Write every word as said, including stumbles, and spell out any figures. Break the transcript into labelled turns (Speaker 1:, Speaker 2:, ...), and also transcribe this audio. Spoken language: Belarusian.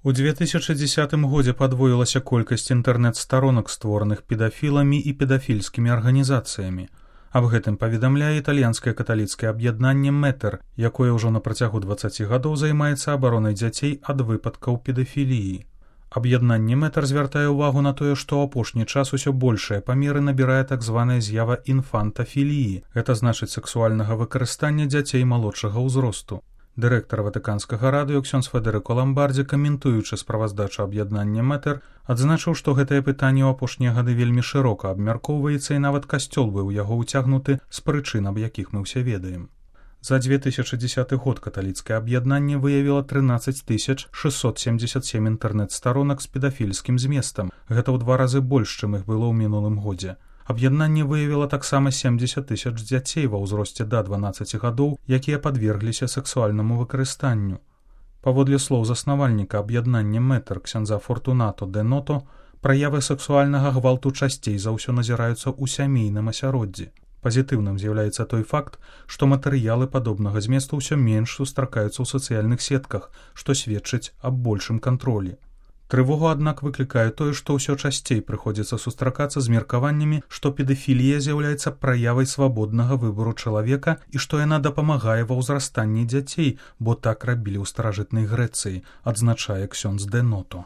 Speaker 1: У две тысячы дзесятым годзе падвоілася колькасць інтэрнэт-старонак, створаных педафіламі і педафільскімі арганізацыямі. Аб гэтым паведамляе італьянскае каталіцкае аб'яднанне «Метэр», якое ўжо на працягу дваццаці гадоў займаецца абаронай дзяцей ад выпадкаў педафіліі. Аб'яднанне «Метэр» звяртае ўвагу на тое, што ў апошні час усё большыя памеры набірае так званая з'ява інфантафіліі, гэта значыць сексуальнага выкарыстання дзяцей малодшага ўзросту. Дырэктар ватыканскага радыё ксёндз Федэрыко Ламбардзі, каментуючы справаздачу аб'яднання «Метэр», адзначыў, што гэтае пытанне ў апошнія гады вельмі шырока абмяркоўваецца і нават касцёл быў у яго ўцягнуты з прычын, аб якіх мы ўсе ведаем. За две тысячы дзесяты год каталіцкае аб'яднанне выявіла трынаццаць тысяч шэсцьсот семдзесят сем інтэрнэт-старонак з педафільскім зместам. Гэта ў два разы больш, чым іх было ў мінулым годзе. Аб'яднанне выявіла таксама семдзесят тысяч дзяцей ва ўзросце да дванаццаці гадоў, якія падвергліся сексуальнаму выкарыстанню. Паводле слоў заснавальніка аб'яднання «Метэр» ксяндза Фортунато де Ното, праявы сексуальнага гвалту часцей за ўсё назіраюцца ў сямейным асяроддзі. Пазітыўным з'яўляецца той факт, што матэрыялы падобнага зместу ўсё менш сустракаюцца ў сацыяльных сетках, што сведчыць аб большым кантролі. Трывогу, аднак, выклікае тое, што ўсё часцей прыходзіцца сустракацца з меркаваннямі, што педафілія з'яўляецца праявай свабоднага выбару чалавека і што яна дапамагае ва ўзрастанні дзяцей, бо так рабілі ў старажытнай Грэцыі, адзначае ксёндз де Ното.